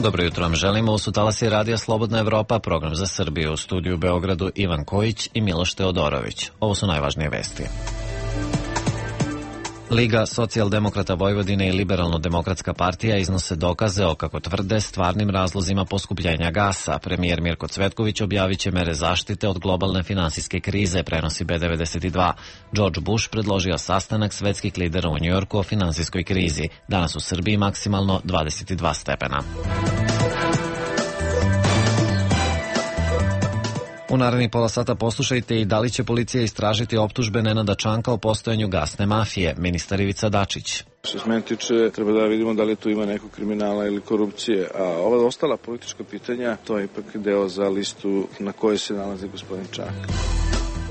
Dobro jutro vam želimo. U Talasi radija Slobodna Evropa, program za Srbiju. U studiju u Beogradu Ivan Kojić i Miloš Teodorović. Ovo su najvažnije vesti. Liga socijaldemokrata Vojvodine i Liberalno-demokratska partija iznose dokaze o, kako tvrde, stvarnim razlozima poskupljenja gasa. Premijer Mirko Cvetković objavit će mere zaštite od globalne finansijske krize, prenosi B92. George Bush predložio sastanak svetskih lidera u Njujorku o finansijskoj krizi. Danas u Srbiji maksimalno 22 stepena. U narednih pola sata poslušajte i da li će policija istražiti optužbe Nenada Čanka o postojanju gasne mafije. Ministar Ivica Dačić. Što se mene tiče, treba da vidimo da li tu ima nekog kriminala ili korupcije. A ova ostala politička pitanja, to je ipak deo za listu na kojoj se nalazi gospodin Čank.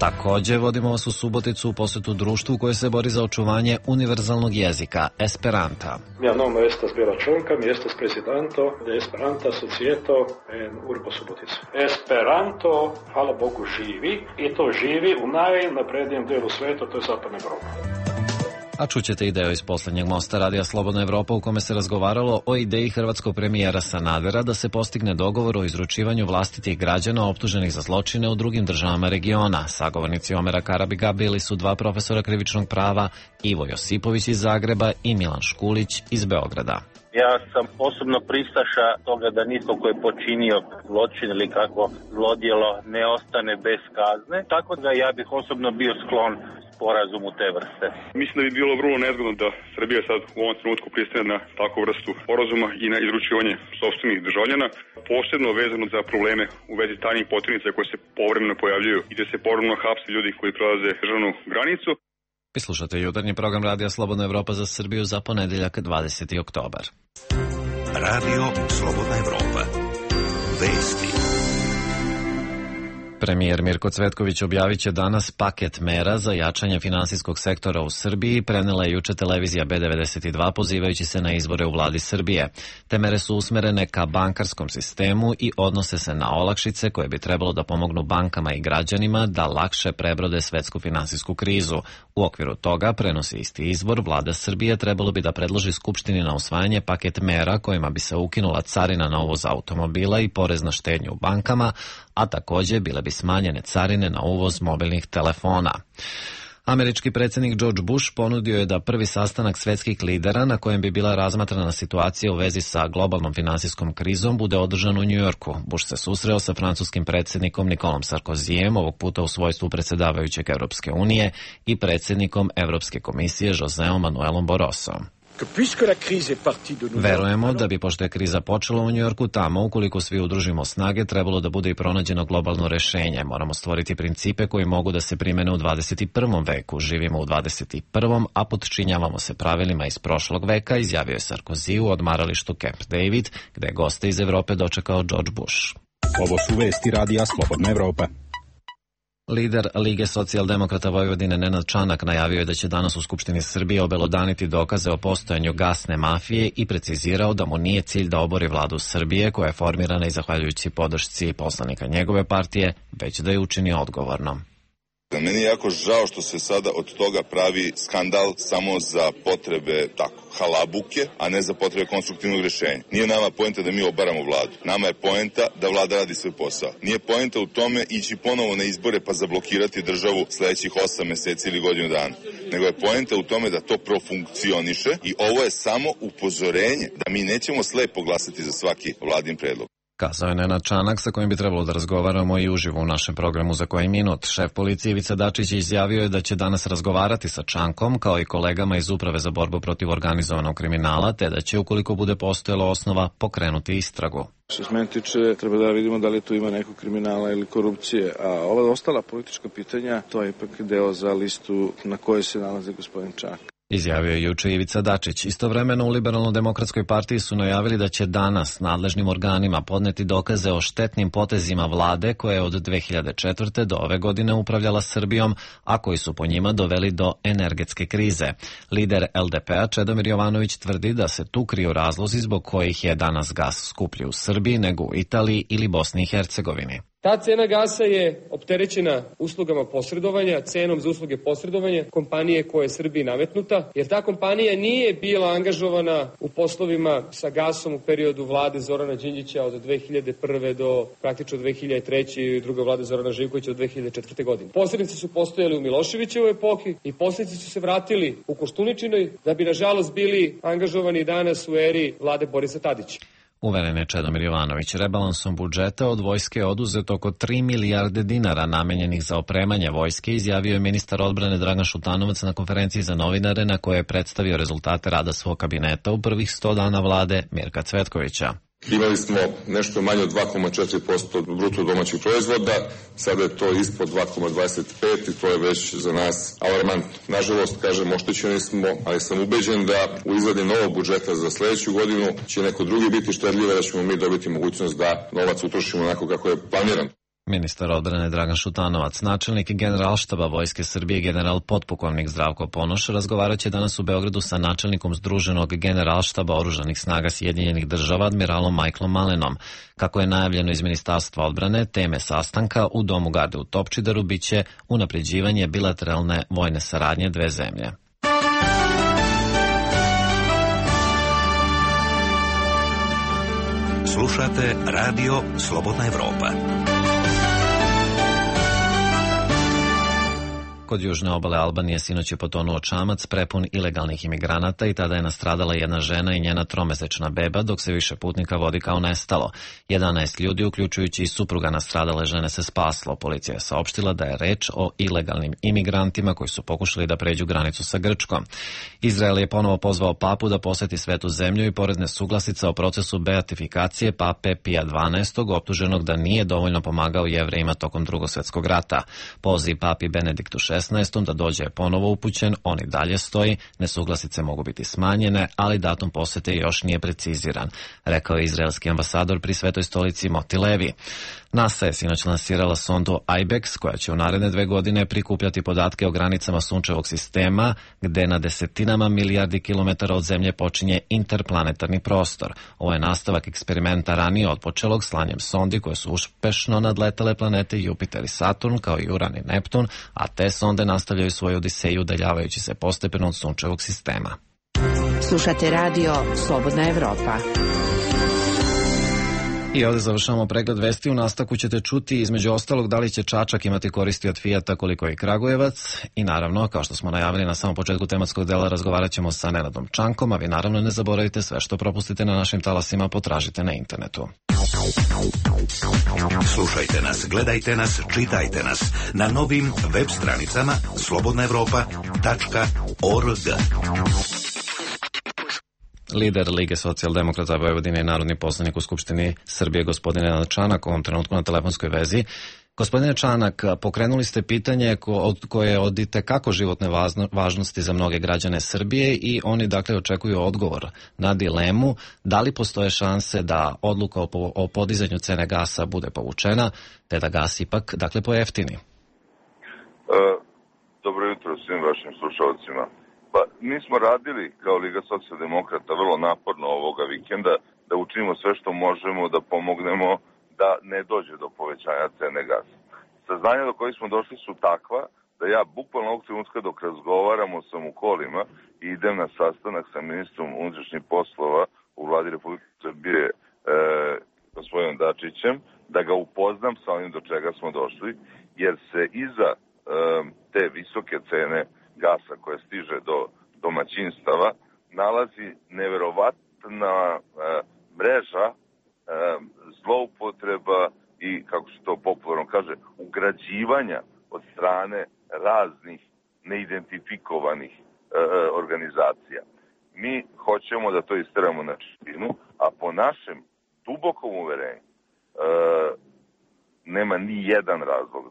Takođe, vodimo vas u Suboticu u posetu društvu koje se bori za očuvanje univerzalnog jezika, Esperanta. Mia nome estas Bela Čonka, mi estas presidento de Esperanta Societo en Urbo Subotica. Esperanto, hvala Bogu, živi i to živi u najnaprednijem delu sveta, to je Zapadna Evropa. A čućete i deo iz poslednjeg mosta radija Slobodna Evropa u kome se razgovaralo o ideji hrvatskog premijera Sanadera da se postigne dogovor o izručivanju vlastitih građana optuženih za zločine u drugim državama regiona. Sagovornici Omera Karabiga bili su dva profesora krivičnog prava, Ivo Josipović iz Zagreba i Milan Škulić iz Beograda. Ja sam osobno pristaša toga da nitko ko je počinio zločin ili kako zlodjelo ne ostane bez kazne, tako da ja bih osobno bio sklon sporazumu te vrste. Mislim da bi bilo vrlo nezgodno da Srbija sad u ovom trenutku pristane na takvu vrstu sporazuma i na izručivanje sopstvenih državljana, posebno vezano za probleme u vezi tajnih poternica koje se povremeno pojavljuju i da se povremeno hapse ljudi koji prelaze državnu granicu. Vi slušate jutarnji program radija Slobodna Evropa za Srbiju za ponedeljak 20. oktobar. Radio Slobodna Evropa. Vesti. Premijer Mirko Cvetković objavit će danas paket mera za jačanje finansijskog sektora u Srbiji, prenela je juče televizija B92 pozivajući se na izbore u vladi Srbije. Te mere su usmerene ka bankarskom sistemu i odnose se na olakšice koje bi trebalo da pomognu bankama i građanima da lakše prebrode svetsku finansijsku krizu. U okviru toga, prenosi isti izvor, vlada Srbije trebalo bi da predloži Skupštini na usvajanje paket mera kojima bi se ukinula carina na uvoz automobila i porez na štednju u bankama, a takođe bile bi smanjene carine na uvoz mobilnih telefona. Američki predsjednik George Bush ponudio je da prvi sastanak svetskih lidera na kojem bi bila razmatrana situacija u vezi sa globalnom finansijskom krizom bude održan u Njujorku. Bush se susreo sa francuskim predsjednikom Nikolom Sarkozijem, ovog puta u svojstvu predsjedavajućeg Europske unije, i predsjednikom Evropske komisije Joseom Manuelom Barrosom. Verujemo da bi, pošto je kriza počela u Njujorku, tamo, ukoliko svi udružimo snage, trebalo da bude i pronađeno globalno rešenje. Moramo stvoriti principe koji mogu da se primene u 21. veku. Živimo u 21. a podčinjavamo se pravilima iz prošlog veka, izjavio je Sarkozy u odmaralištu Camp David, gde je goste iz Evrope dočekao George Bush. Ovo su vesti radija Slobodna Evropa. Lider Lige socijaldemokrata Vojvodine Nenad Čanak najavio je da će danas u Skupštini Srbije obelodaniti dokaze o postojanju gasne mafije i precizirao da mu nije cilj da obori vladu Srbije, koja je formirana i zahvaljujući podršci poslanika njegove partije, već da je učini odgovornom. Meni je jako žao što se sada od toga pravi skandal samo za potrebe halabuke, a ne za potrebe konstruktivnog rješenja. Nije nama poenta da mi obaramo vladu. Nama je poenta da vlada radi svoj posao. Nije poenta u tome ići ponovo na izbore pa zablokirati državu sledećih 8 meseci ili godinu dana. Nego je poenta u tome da to profunkcioniše i ovo je samo upozorenje da mi nećemo slepo glasati za svaki vladin predlog. Kazao je Nenad Čanak, sa kojim bi trebalo da razgovaramo i uživo u našem programu Za koji minut. Šef policije Ivica Dačić izjavio je da će danas razgovarati sa Čankom, kao i kolegama iz Uprave za borbu protiv organizovanog kriminala, te da će, ukoliko bude postojala osnova, pokrenuti istragu. Što se mene tiče, treba da vidimo da li tu ima nekog kriminala ili korupcije. A ova ostala politička pitanja, to je ipak deo za listu na kojoj se nalazi gospodin Čank. Izjavio je juče Ivica Dačić. Istovremeno u Liberalno-demokratskoj partiji su najavili da će danas nadležnim organima podneti dokaze o štetnim potezima vlade koja je od 2004. do ove godine upravljala Srbijom, a koji su po njima doveli do energetske krize. Lider LDP-a Čedomir Jovanović tvrdi da se tu kriju razlozi zbog kojih je danas gas skuplji u Srbiji nego u Italiji ili Bosni i Hercegovini. Ta cena gasa je opterećena uslugama posredovanja, cenom za usluge posredovanja kompanije koja je Srbiji nametnuta, jer ta kompanija nije bila angažovana u poslovima sa gasom u periodu vlade Zorana Đinđića od 2001. do praktično 2003. i druga vlada Zorana Živkovića od 2004. godine. Posrednici su postojali u Miloševićevoj epohi i posrednici su se vratili u Koštuničinoj da bi nažalost bili angažovani danas u eri vlade Borisa Tadića. Uveren je Čedomir Jovanović. Rebalansom budžeta od vojske je oduzeto oko 3 milijarde dinara namenjenih za opremanje vojske, izjavio je ministar odbrane Dragan Šutanovac na konferenciji za novinare na kojoj je predstavio rezultate rada svog kabineta u prvih 100 dana vlade Mirka Cvetkovića. Imali smo nešto manje od 2,4% bruto domaćeg proizvoda, sada je to ispod 2,25 i to je već za nas alarmantno. Nažalost, kažem, oštećeni smo, ali sam ubeđen da u izradi novog budžeta za sledeću godinu će neko drugi biti štedljiv, da ćemo mi dobiti mogućnost da novac utrošimo onako kako je planiran. Ministar odbrane Dragan Šutanovac, načelnik Generalštaba Vojske Srbije general potpukovnik Zdravko Ponoš razgovarat će danas u Beogradu sa načelnikom Združenog Generalštaba Oružanih snaga Sjedinjenih Država admiralom Michaelom Malenom. Kako je najavljeno iz Ministarstva odbrane, teme sastanka u Domu garde u Topčideru biće unapređivanje bilateralne vojne saradnje dve zemlje. Slušate Radio Slobodna Evropa. Kod južne obale Albanije sinoć je potonuo čamac prepun ilegalnih imigranata i tada je nastradala jedna žena i njena tromesečna beba, dok se više putnika vodi kao nestalo. 11 ljudi, uključujući i supruga nastradale žene, se spaslo. Policija je saopštila da je reč o ilegalnim imigrantima koji su pokušali da pređu granicu sa Grčkom. Izrael je ponovo pozvao papu da poseti Svetu zemlju i pored nesuglasica o procesu beatifikacije pape Pija XII, optuženog da nije dovoljno pomagao Jevrejima tokom Drugog svjetskog rata. Poziv papi Benediktu XVI da dođe je ponovo upućen, on i dalje stoji, nesuglasice mogu biti smanjene, ali datum posete još nije preciziran, rekao je izraelski ambasador pri Svetoj stolici Moti Levi. NASA je sinoć lansirala sondu IBEX, koja će u naredne 2 godine prikupljati podatke o granicama sunčevog sistema, gde na desetinama milijardi kilometara od Zemlje počinje interplanetarni prostor. Ovo je nastavak eksperimenta ranije otpočelog slanjem sondi koje su uspešno nadletale planete Jupiter i Saturn, kao i Uran i Neptun, a te sonde nastavljaju svoju odiseju udaljavajući se postepeno od sunčevog sistema. Slušate Radio Slobodna Evropa. I ovdje završavamo pregled vesti. U nastavku ćete čuti između ostalog da li će Čačak imati koristi od Fijata koliko i Kragujevac. I naravno, kao što smo najavili na samom početku tematskog dela, razgovarat ćemo sa Nenadom Čankom, a vi naravno ne zaboravite sve što propustite na našim talasima, potražite na internetu. Slušajte nas, gledajte nas, čitajte nas na novim web stranicama slobodnaevropa.org. Lider Lige socijaldemokrata Vojvodine i narodni poslanik u Skupštini Srbije, gospodin Nenad Čanak, u ovom trenutku na telefonskoj vezi. Gospodine Čanak, pokrenuli ste pitanje koje je od itekako životne važnosti za mnoge građane Srbije i oni dakle očekuju odgovor na dilemu da li postoje šanse da odluka o podizanju cene gasa bude povučena, te da gas ipak dakle pojeftini. Dobro jutro svim vašim slušalcima. Pa, mi smo radili kao Liga socijaldemokrata vrlo naporno ovoga vikenda da učinimo sve što možemo da pomognemo da ne dođe do povećanja cene gasa. Saznanja do kojih smo došli su takva da ja bukvalno ovog trenutka dok razgovaramo sam u kolima i idem na sastanak sa ministrom unutrašnjih poslova u vladi Republike Srbije gospodinom Dačićem, da ga upoznam sa onim do čega smo došli, jer se iza te visoke cene gasa koja stiže do domaćinstava nalazi neverovatna mreža zloupotreba i, kako se to popularno kaže, ugrađivanja od strane raznih neidentifikovanih organizacija. Mi hoćemo da to isteramo na čistinu, a po našem dubokom uverenju nema ni jedan razlog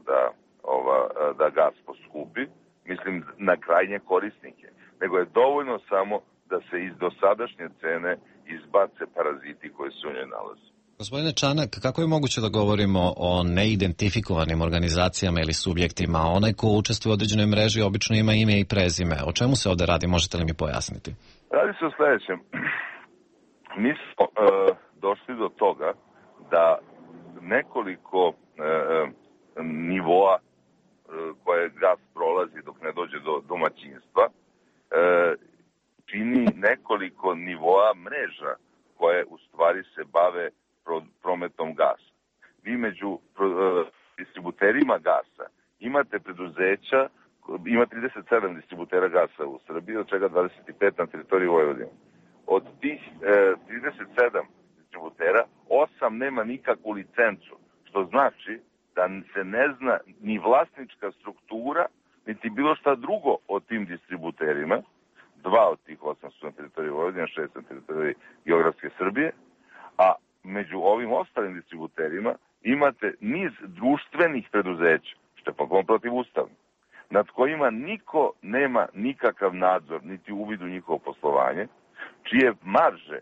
da gas poskupi, mislim na krajnje korisnike, nego je dovoljno samo da se iz dosadašnje cene izbace paraziti koji se u njoj nalaze. Gospodine Čanak, kako je moguće da govorimo o neidentifikovanim organizacijama ili subjektima? Onaj ko učestvuje u određenoj mreži obično ima ime i prezime. O čemu se ovde radi? Možete li mi pojasniti? Radi se o sledećem. Mi smo došli do toga da nekoliko nivoa koje gas prolazi dok ne dođe do domaćinstva, čini nekoliko nivoa mreža koje u stvari se bave prometom gasa. Vi među distributerima gasa imate preduzeća, ima 37 distributera gasa u Srbiji, od čega 25 na teritoriji Vojvodine. Od tih 37 distributera, 8 nema nikakvu licencu, što znači da se ne zna ni vlasnička struktura, niti bilo šta drugo o tim distributerima. 2 od tih 8 su na teritoriji Vojvodine, 6 na teritoriji geografske Srbije, a među ovim ostalim distributerima imate niz društvenih preduzeća, što je potpuno protivustavno, nad kojima niko nema nikakav nadzor, niti uvid u njihovo poslovanje, čije marže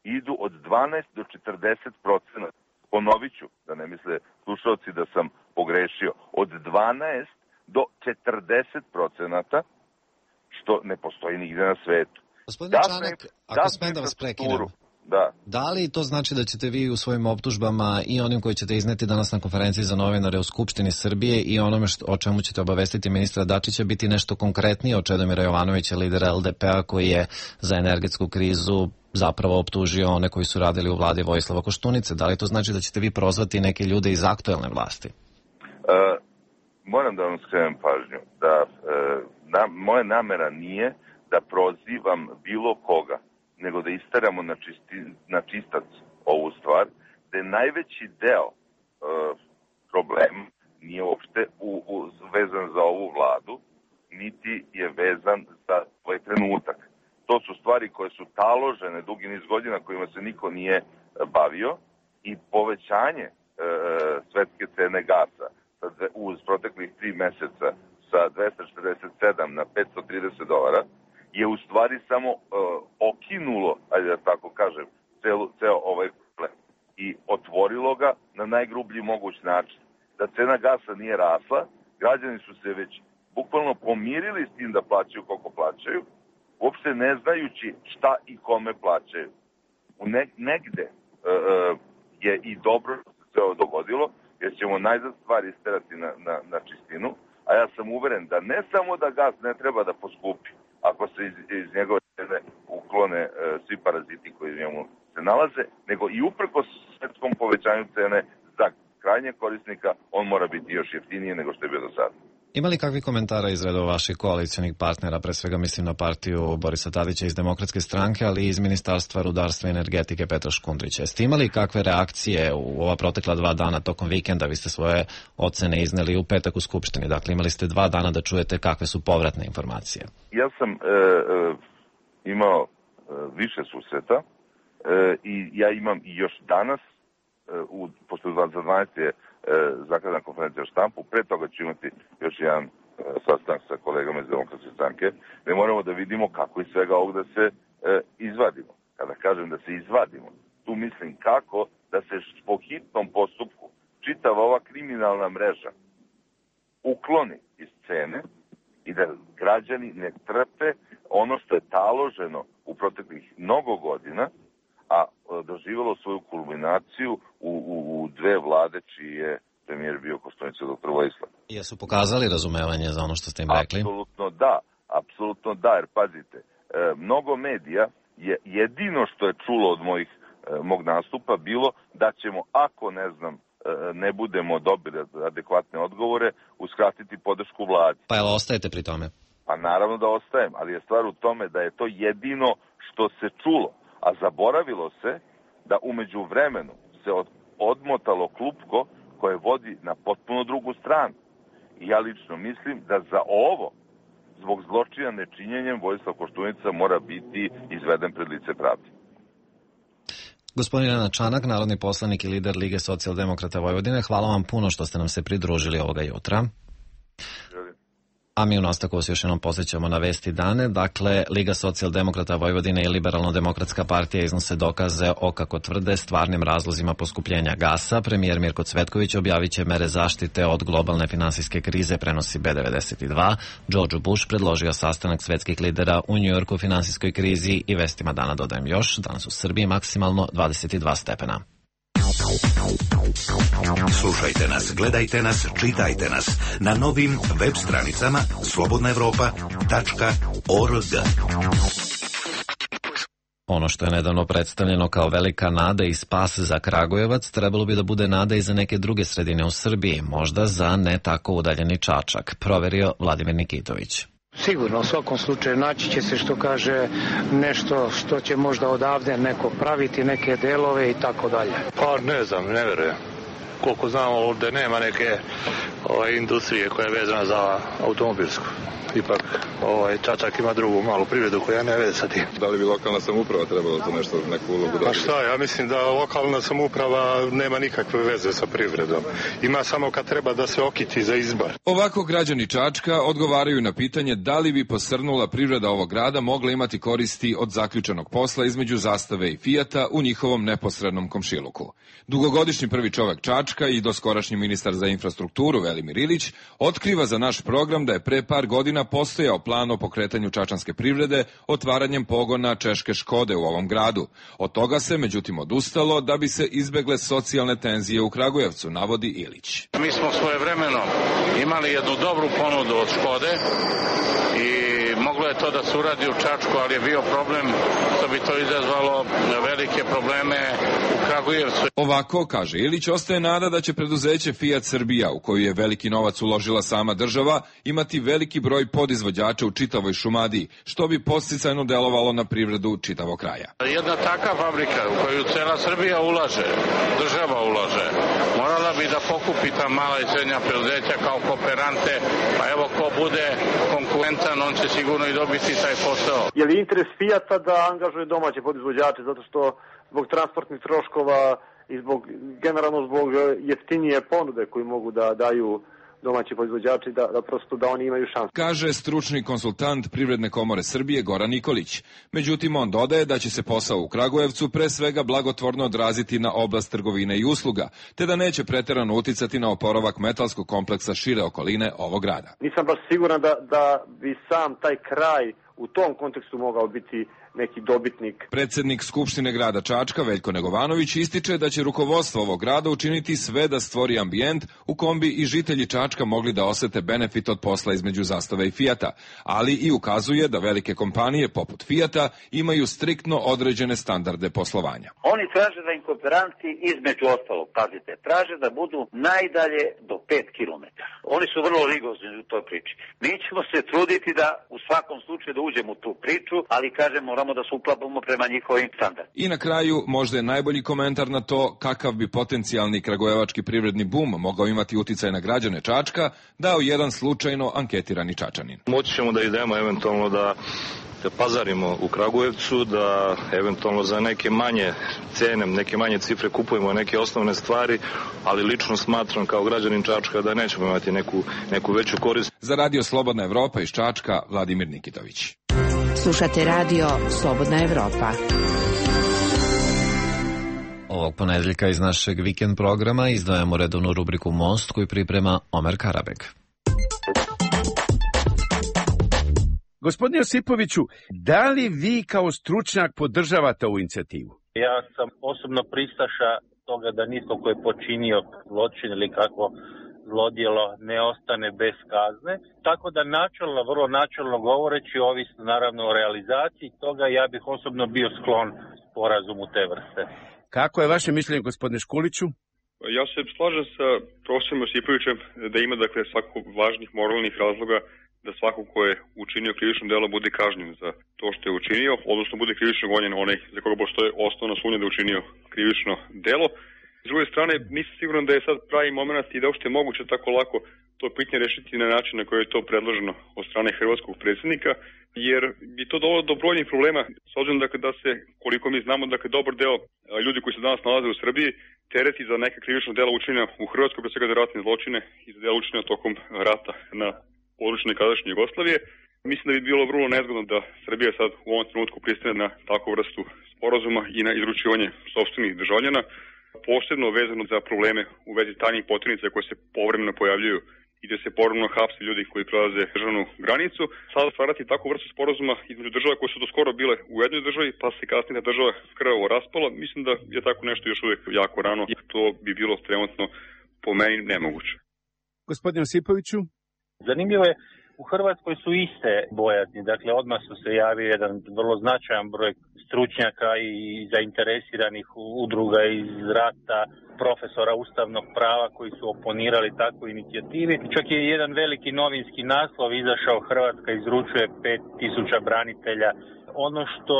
idu od 12 do 40%. Ponovit ću, da ne misle slušalci da sam pogrešio, od 12 do 40%, što ne postoji nigde na svetu. Gospodine Čanak, ako smem da vas prekinem, da li to znači da ćete vi u svojim optužbama i onim koji ćete izneti danas na konferenciji za novinare u Skupštini Srbije i onome o čemu ćete obavestiti ministra Dačića biti nešto konkretnije od Čedomira Jovanovića, lidera LDP-a, koji je za energetsku krizu zapravo optužio one koji su radili u vladi Vojislava Koštunice? Da li to znači da ćete vi prozvati neke ljude iz aktuelne vlasti? Moram da vam skrenem pažnju da moja namera nije da prozivam bilo koga, nego da istaramo na čistac ovu stvar, da je najveći deo problema nije uopšte vezan za ovu vladu, niti je vezan za ovaj trenutak. To su stvari koje su taložene dugi niz godina, kojima se niko nije bavio, i povećanje svetske cene gasa uz proteklih 3 meseca sa 247 na $530 je u stvari samo okinulo, ajde da tako kažem, ceo ovaj problem i otvorilo ga na najgrublji moguć način. Da cena gasa nije rasla, građani su se već bukvalno pomirili s tim da plaćaju koliko plaćaju, uopšte ne znajući šta i kome plaćaju. Negde je i dobro što se ovo dogodilo, jer ćemo najzad stvari isterati na čistinu, a ja sam uveren da ne samo da gas ne treba da poskupi, ako se iz njegove cene uklone svi paraziti koji u njemu se nalaze, nego i uprkos svetskom povećanju cene za krajnjeg korisnika, on mora biti još jeftiniji nego što je bio do sada. Ima li kakvi komentara iz redova vaših koalicionih partnera, pre svega mislim na partiju Borisa Tadića iz Demokratske stranke, ali i iz Ministarstva rudarstva i energetike Petra Škundrića? Jeste imali kakve reakcije u ova protekla 2 dana tokom vikenda? Vi ste svoje ocene izneli u petak u Skupštini, dakle imali ste 2 dana da čujete kakve su povratne informacije. Ja sam imao više susreta i ja imam i još danas, pošto za 12 je zakazana konferencija o štampu, pre toga ću imati još jedan sastanak sa kolegama iz Demokratske stranke, gde moramo da vidimo kako iz svega ovog da se izvadimo. Kada kažem da se izvadimo, tu mislim kako da se po hitnom postupku čitava ova kriminalna mreža ukloni iz scene i da građani ne trpe ono što je taloženo u proteklih mnogo godina, a doživjelo svoju kulminaciju u 2 vlade čiji je premijer bio Koštunica dr. Vojislav. Jesu pokazali razumevanje za ono što ste im rekli? Apsolutno da, jer pazite, mnogo medija je jedino što je čulo od mog nastupa bilo da ćemo, ako ne budemo dobili adekvatne odgovore, uskratiti podršku vladi. Pa jel ostajete pri tome? Pa naravno da ostajem, ali je stvar u tome da je to jedino što se čulo. A zaboravilo se da umeđu vremenu se odmotalo klupko koje vodi na potpuno drugu stranu. I ja lično mislim da za ovo, zbog zločina nečinjenjem, Vojislav Koštunica mora biti izveden pred lice pravde. Gospodin Nenad Čanak, narodni poslanik i lider Lige socijaldemokrata Vojvodine, hvala vam puno što ste nam se pridružili ovoga jutra. A mi u nastavku se još jednom posjećamo na vesti dane. Dakle, Liga socijaldemokrata Vojvodine i Liberalno-demokratska partija iznose dokaze o, kako tvrde, stvarnim razlozima poskupljenja gasa. Premijer Mirko Cvetković objavit će mere zaštite od globalne finansijske krize, prenosi B92. George Bush predložio sastanak svetskih lidera u Njujorku o finansijskoj krizi i vestima dana dodajem još. Danas u Srbiji maksimalno 22 stepena. Slušajte nas, gledajte nas, čitajte nas na novim web stranicama slobodnaevropa.org. Ono što je nedavno predstavljeno kao velika nada i spas za Kragujevac trebalo bi da bude nada i za neke druge sredine u Srbiji, možda za ne tako udaljeni Čačak, proverio Vladimir Nikitović. Sigurno, u svakom slučaju naći će se, što kaže, nešto što će možda odavde neko praviti, neke delove i tako dalje. Pa ne znam, ne verujem. Koliko znamo, ovdje nema neke industrije koja je vezana za automobilsku. Ipak Čačak ima drugu malu privredu koja ne veze sa tim. Da li bi lokalna samouprava trebala to nešto, neku ulogu da... Pa šta, ja mislim da lokalna samouprava nema nikakve veze sa privredom. Ima samo kad treba da se okiti za izbor. Ovako građani Čačka odgovaraju na pitanje da li bi posrnula privreda ovog grada mogla imati koristi od zaključenog posla između Zastave i Fijata u njihovom neposrednom komšiluku. Dugogodišnji prvi čovek Čačka i doskorašnji ministar za infrastrukturu Velimir Ilić otkriva za naš program da je pre par godina postojao plan o pokretanju čačanske privrede otvaranjem pogona češke Škode u ovom gradu. Od toga se međutim odustalo da bi se izbegle socijalne tenzije u Kragujevcu, navodi Ilić. Mi smo svojevremeno imali jednu dobru ponudu od Škode i moglo je to da se uradi u Čačku, ali je bio problem što bi to izazvalo velike probleme u Kragujevcu. Ovako, kaže Ilić, ostaje nada da će preduzeće Fiat Srbija, u koju je veliki novac uložila sama država, imati veliki broj podizvođača u čitavoj Šumadiji, što bi podsticajno delovalo na privredu čitavog kraja. Jedna takva fabrika u koju cela Srbija ulaže, država ulaže, morala bi da pokupi ta mala i srednja preduzeća kao kooperante, pa evo ko bude konkurentan, on će sigurno i dobiti taj posao. Je li interes Fijata da angažuje domaće podizvođače, zato što zbog transportnih troškova i generalno zbog jeftinije ponude koju mogu da daju domaći proizvođači, da prosto da oni imaju šansu. Kaže stručni konsultant Privredne komore Srbije Goran Nikolić. Međutim, on dodaje da će se posao u Kragujevcu pre svega blagotvorno odraziti na oblast trgovine i usluga, te da neće preterano uticati na oporavak metalskog kompleksa šire okoline ovog grada. Nisam baš siguran da bi sam taj kraj u tom kontekstu mogao biti neki dobitnik. Predsednik Skupštine grada Čačka Veljko Negovanović ističe da će rukovodstvo ovog grada učiniti sve da stvori ambijent u kom bi i žitelji Čačka mogli da osete benefit od posla između Zastave i Fijata, ali i ukazuje da velike kompanije poput Fijata imaju striktno određene standarde poslovanja. Oni traže da im kooperanti između ostalog, pazite, traže da budu najdalje do 5 km. Oni su vrlo rigorozni u toj priči. Mi ćemo se truditi da u svakom slučaju da uđemo u tu priču, ali kažemo da se uklapamo prema njihovim standardima. I na kraju, možda je najbolji komentar na to kakav bi potencijalni kragujevački privredni bum mogao imati uticaj na građane Čačka, dao jedan slučajno anketirani Čačanin. Moći ćemo da idemo eventualno da pazarimo u Kragujevcu, da eventualno za neke manje cene, neke manje cifre kupujemo neke osnovne stvari, ali lično smatram kao građanin Čačka da nećemo imati neku veću korist. Za Radio Slobodna Evropa iz Čačka, Vladimir Nikitović. Slušate Radio Slobodna Evropa. Ovog ponedeljka iz našeg vikend programa izdvajamo redovnu rubriku Most koju priprema Omer Karabeg. Gospodine Josipoviću, da li vi kao stručnjak podržavate ovu inicijativu? Ja sam osobno pristaša toga da nitko ko je počinio zločin ili kako zlodjelo ne ostane bez kazne. Tako da načelno, vrlo načelno govoreći, ovisno naravno o realizaciji toga, ja bih osobno bio sklon sporazumu te vrste. Kako je vaše mišljenje, gospodine Škuliću? Ja se slažem sa profesorom Josipovićem da ima svako važnih moralnih razloga da svako ko je učinio krivično delo bude kažnjen za to što je učinio, odnosno bude krivično gonjen onaj za koga postoje osnovna sumnja da je učinio krivično delo. S druge strane, nisam siguran da je sad pravi moment i da uopšte je moguće tako lako to pitanje rešiti na način na koji je to predloženo od strane hrvatskog predsjednika, jer bi to dovelo do brojnih problema, s obzirom da se, koliko mi znamo, dobar deo ljudi koji se danas nalaze u Srbiji tereti za neka krivična dela učinjena u Hrvatskoj, pre svega za ratne zločine i za dela učinjena tokom rata na području nekadašnje Jugoslavije. Mislim da bi bilo vrlo nezgodno da Srbija sad u ovom trenutku pristane na takvu vrstu sporazuma i na izručivanje sopstvenih državljana, posebno vezano za probleme u vezi tajnih poternica koje se povremeno pojavljuju i da se povremeno hapse ljudi koji prelaze državnu granicu. Sada stvarati takvu vrstu sporazuma između država koje su do skoro bile u jednoj državi, pa se kasnije država krvavo raspala, mislim da je tako nešto još uvijek jako rano i to bi bilo trenutno po meni nemoguće. Gospodin Josipoviću? Zanimljivo je, u Hrvatskoj su iste bojazni, dakle odmah su se javio jedan vrlo značajan broj stručnjaka i zainteresiranih udruga iz rata, profesora ustavnog prava koji su oponirali takvoj inicijativi. Čak je jedan veliki novinski naslov izašao, Hrvatska izručuje 5000 branitelja. Ono što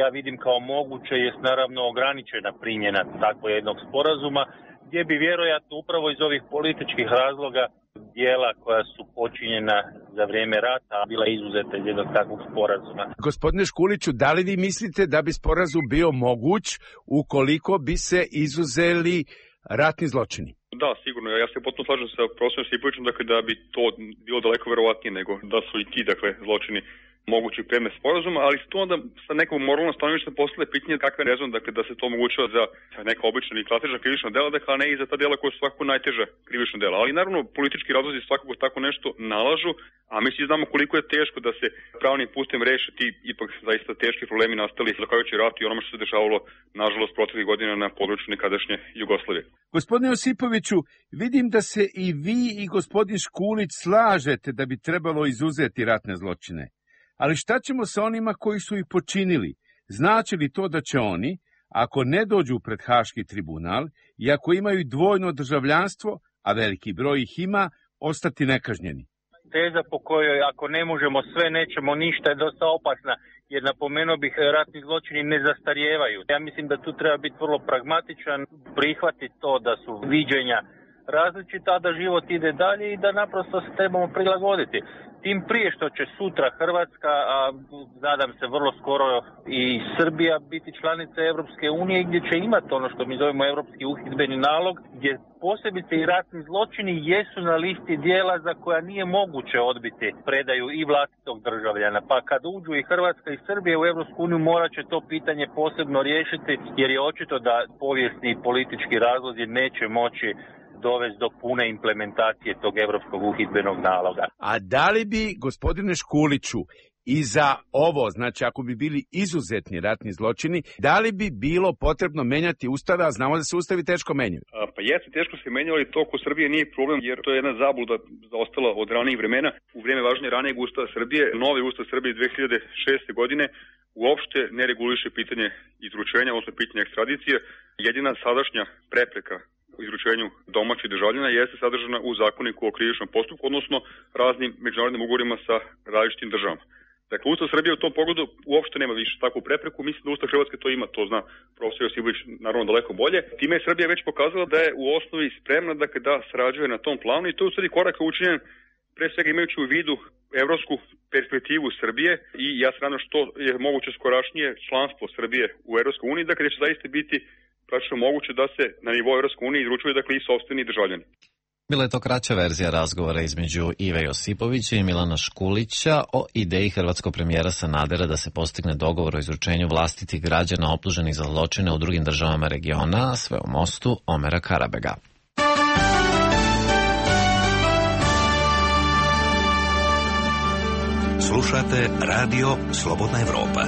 ja vidim kao moguće je naravno ograničena primjena takvog jednog sporazuma, gdje bi vjerojatno upravo iz ovih političkih razloga dijela koja su počinjena za vrijeme rata bila izuzeta iz jednog takvog sporazuma. Gospodine Škuliću, da li vi mislite da bi sporazum bio moguć ukoliko bi se izuzeli ratni zločini? Da, sigurno. Ja se potpuno slažem sa profesorom Josipovićem, dakle, da bi to bilo daleko verovatnije nego da su i ti, dakle, zločini mogući predmet sporazuma, ali to onda sa nekom moralnom stanovišta postavlja pitanje kakve je rezon, dakle, da se to omogućava za neka obična ili klasična krivična dela, dakle, a ne i za ta dela koja su svakako najteža krivična dela. Ali naravno, politički razlozi svakako tako nešto nalažu, a mi svi znamo koliko je teško da se pravnim putem reše ti ipak zaista teški problemi nastali zahvaljujući ratu i onome što se dešavalo, nažalost, proteklih godina na području nekadašnje Jugoslavije. Gospodine Josipoviću, vidim da se i vi i gospodin Škulić slažete da bi trebalo izuzeti ratne zločine. Ali šta ćemo sa onima koji su ih počinili? Znači li to da će oni, ako ne dođu pred Haški tribunal i ako imaju dvojno državljanstvo, a veliki broj ih ima, ostati nekažnjeni? Teza po kojoj ako ne možemo sve, nećemo ništa je dosta opasna, jer napomenuo bih ratni zločini ne zastarijevaju. Ja mislim da tu treba biti vrlo pragmatičan, prihvatiti to da su viđenja različita, da život ide dalje i da naprosto se trebamo prilagoditi. Tim prije što će sutra Hrvatska, a nadam se vrlo skoro i Srbija biti članica Europske unije, gdje će imati ono što mi zovemo Europski uhidbeni nalog, gdje posebice i ratni zločini jesu na listi dijela za koja nije moguće odbiti predaju i vlastitog državljana. Pa kad uđu i Hrvatska i Srbija u Europsku uniju, morat će to pitanje posebno riješiti, jer je očito da povijesni i politički razlozi neće moći dovesti do pune implementacije tog europskog uhidbenog naloga. A da li bi, gospodine Škuliću, i za ovo, znači ako bi bili izuzetni ratni zločini, da li bi bilo potrebno menjati ustave, a znamo da se ustavi teško menjaju? Pa jeste, teško se menjalo i to kod Srbije nije problem, jer to je jedna zabluda zaostala od ranijih vremena. U vrijeme važenja ranijeg ustava Srbije, novi ustav Srbije 2006. godine uopšte ne reguliše pitanje izručenja, odnosno pitanje ekstradicije. Jedina sadašnja prepreka u izručenju domaćih državljana jeste sadržana u zakoniku o krivičnom postupku, odnosno raznim međunarodnim ugovorima sa različitim državama. Dakle, Ustav Srbije u tom pogledu uopšte nema više takvu prepreku. Mislim da Ustav Hrvatske to ima, to zna profesor Josipović naravno daleko bolje. Time je Srbija već pokazala da je u osnovi spremna da sarađuje na tom planu i to je u stvari korak učinjen pre svega imajući u vidu evropsku perspektivu Srbije i ja se nadam što je moguće skorašnije članstvo Srbije u Evropskoj uniji, dakle će zaista biti praktično moguće da se na nivou Evropske unije izručuju i sopstveni državljani. Bila je to kraća verzija razgovora između Ive Josipovića i Milana Škulića o ideji hrvatskog premijera Sanadera da se postigne dogovor o izručenju vlastitih građana optuženih za zločine u drugim državama regiona, a sve u mostu Omera Karabega. Slušate Radio Slobodna Evropa.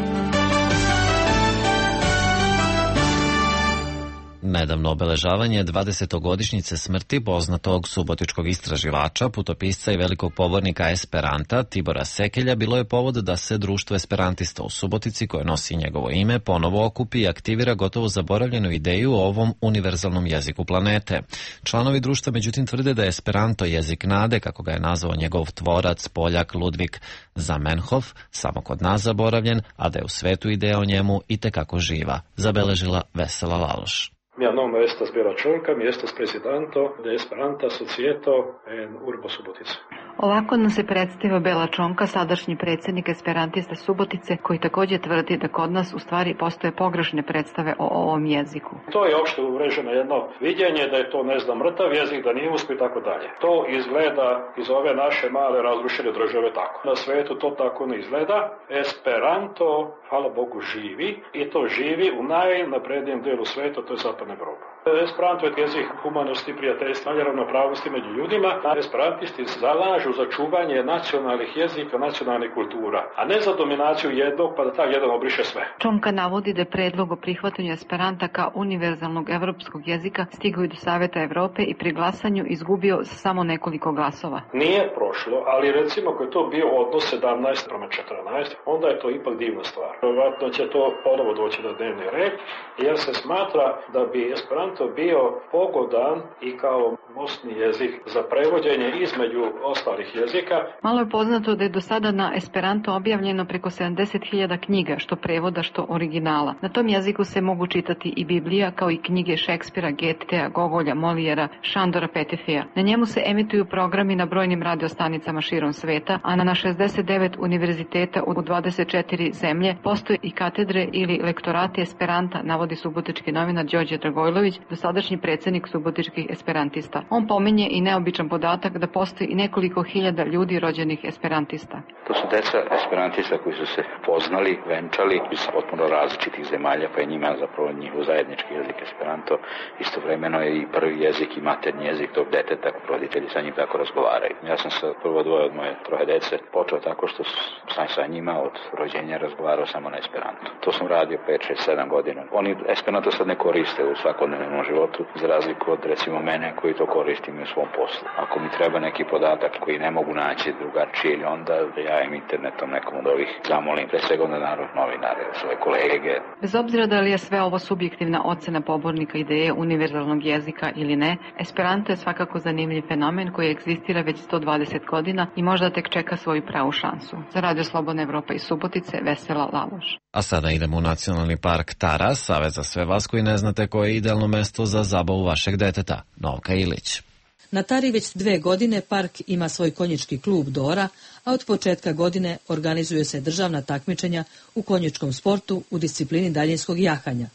Nedavno obeležavanje 20-godišnjice smrti poznatog subotičkog istraživača, putopisca i velikog pobornika Esperanta Tibora Sekelja bilo je povod da se društvo esperantista u Subotici, koje nosi njegovo ime, ponovo okupi i aktivira gotovo zaboravljenu ideju o ovom univerzalnom jeziku planete. Članovi društva međutim tvrde da je Esperanto jezik nade, kako ga je nazvao njegov tvorac Poljak Ludvik Zamenhof, samo kod nas zaboravljen, a da je u svetu ideja o njemu itekako živa, zabeležila Vesela Laloš. Mia nome estas Bela Čolka, mi estas prezidanto de Esperanta Societo en Urbo Subotica. Ovako nam se predstavio Bela Čonka, sadašnji predsjednik esperantista Subotice, koji također tvrdi da kod nas u stvari postoje pogrešne predstave o ovom jeziku. To je opšte uvreženo jedno vidjenje da je to, mrtav jezik, da nije uspio i tako dalje. To izgleda iz ove naše male razrušene države tako. Na svetu to tako ne izgleda. Esperanto, hvala Bogu, živi i to živi u najnaprednijem delu sveta, to je Zapadna Evropa. Esperanto je jezik humanosti, prijateljstva i ravnopravnosti među ljudima. Esperantisti zalažu za čuvanje nacionalnih jezika, nacionalnih kultura, a ne za dominaciju jednog pa da taj jedan obriše sve. Čonka navodi da je predlog o prihvatanju esperanta kao univerzalnog evropskog jezika stigao i do Saveta Evrope i pri glasanju izgubio samo nekoliko glasova. Nije prošlo, ali recimo ako je to bio odnos 17:14, onda je to ipak divna stvar. Vjerovatno će to ponovo doći na dnevni red, jer se smatra da bi esperanto bio pogodan i kao mostni jezik za prevođenje između ostalih jezika. Malo je poznato da je do sada na esperanto objavljeno preko 70.000 knjiga, što prevoda, što originala. Na tom jeziku se mogu čitati i Biblija, kao i knjige Šekspira, Getea, Gogolja, Molijera, Šandora Petefija. Na njemu se emituju programi na brojnim radiostanicama širom sveta, a na 69 univerziteta u 24 zemlje postoje i katedre ili lektorati esperanta, navodi subotički novinar Đorđe Dragojlović, dosadašnji predsjednik subotičkih esperantista. On pominje i neobičan podatak da postoji i nekoliko hiljada ljudi rođenih esperantista. To su deca esperantista koji su se poznali, venčali iz potpuno različitih zemalja, pa je njima zapravo njihov zajednički jezik esperanto. Istovremeno je i prvi jezik i maternji jezik tog deteta, roditelji sa njim tako razgovaraju. Ja sam sa prvo dvoje od moje troje dece počeo tako što sam sa njima od rođenja razgovarao samo na esperanto. To sam radio 5, 6, 7 godina. Oni esperanto sad ne koriste u svakodnevnom životu, za razliku od recimo mene koji to koristim u svom poslu. Ako mi treba neki podatak koji ne mogu naći drugačije, onda ja im internetom nekom od ovih zamolim, pre svega na novinare, svoje kolege. Bez obzira da li je sve ovo subjektivna ocena pobornika ideje univerzalnog jezika ili ne, esperanto je svakako zanimljiv fenomen koji egzistira već 120 godina i možda tek čeka svoju pravu šansu. Za Radio Slobodna Evropa iz Subotice, Vesela Laloš. A sada idemo u Nacionalni park Tara, savez za sve vas koji ne znate koje je idealno mesto za zabavu vašeg deteta. Novka Ilić. Na Tari već 2 godine park ima svoj konjički klub Dora, a od početka godine organizuje se državna takmičenja u konjičkom sportu u disciplini daljinskog jahanja.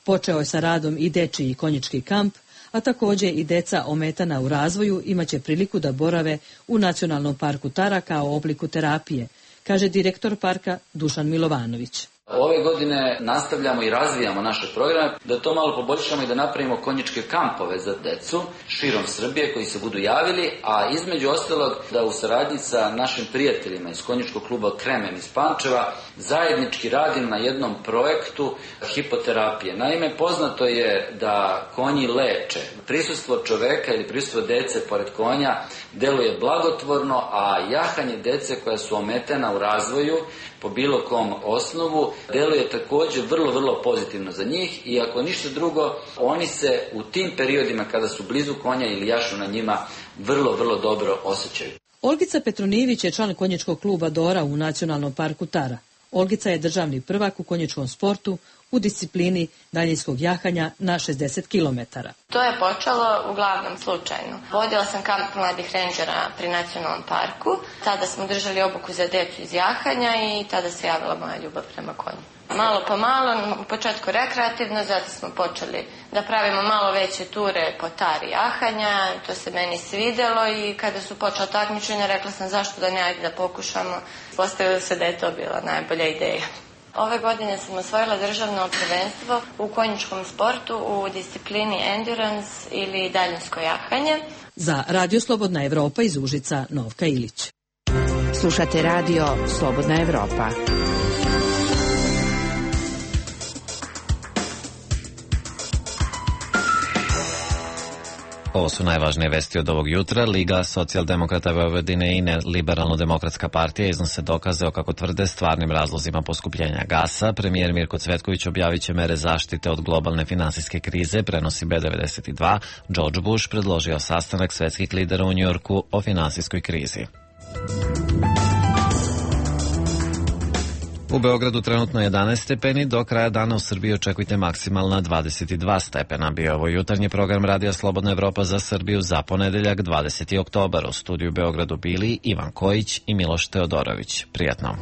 Počeo je sa radom i dečiji konjički kamp, a također i deca ometana u razvoju imaće priliku da borave u Nacionalnom parku Tara kao obliku terapije, kaže direktor parka Dušan Milovanović. Ove godine nastavljamo i razvijamo naše programe da to malo poboljšamo i da napravimo konjičke kampove za decu širom Srbije koji se budu javili, a između ostalog da u saradnji sa našim prijateljima iz konjičkog kluba Kremen iz Pančeva zajednički radim na jednom projektu hipoterapije. Naime, poznato je da konji leče. Prisustvo čoveka ili prisustvo dece pored konja deluje blagotvorno, a jahanje dece koja su ometena u razvoju po bilo kom osnovu deluje također vrlo pozitivno za njih i ako ništa drugo, oni se u tim periodima kada su blizu konja ili jašu na njima vrlo dobro osjećaju. Olgica Petronijević je član konjičkog kluba Dora u Nacionalnom parku Tara. Olgica je državni prvak u konjičkom sportu u disciplini daljinskog jahanja na 60 km. To je počelo uglavnom slučajno. Vodila sam kamp mladih rendžera pri Nacionalnom parku. Tada smo držali obuku za decu iz jahanja i tada se javila moja ljubav prema konju. Malo po malo, u početku rekreativno, zato smo počeli da pravimo malo veće ture po Tari jahanja. To se meni svidjelo i kada su počela takmičenja rekla sam zašto da ne, ajde da pokušamo. Postavilo se da je to bila najbolja ideja. Ove godine sam osvojila državno prvenstvo u konjičkom sportu u disciplini endurance ili daljinsko jahanje. Za Radio Slobodna Evropa iz Užica, Novka Ilić. Slušate Radio Slobodna Evropa. Ovo su najvažnije vesti od ovog jutra. Liga socijaldemokrata Vojvodine i Liberalno-demokratska partija iznose dokaze o, kako tvrde, stvarnim razlozima poskupljenja gasa. Premijer Mirko Cvetković objavit će mere zaštite od globalne finansijske krize, prenosi B92. George Bush predložio sastanak svetskih lidera u Njujorku o finansijskoj krizi. U Beogradu trenutno 11 stepeni, do kraja dana u Srbiji očekujte maksimalna 22 stepena. Bio ovo jutarnji program Radija Slobodna Evropa za Srbiju za ponedeljak 20. oktobar. U studiju u Beogradu bili Ivan Kojić i Miloš Teodorović. Prijatno.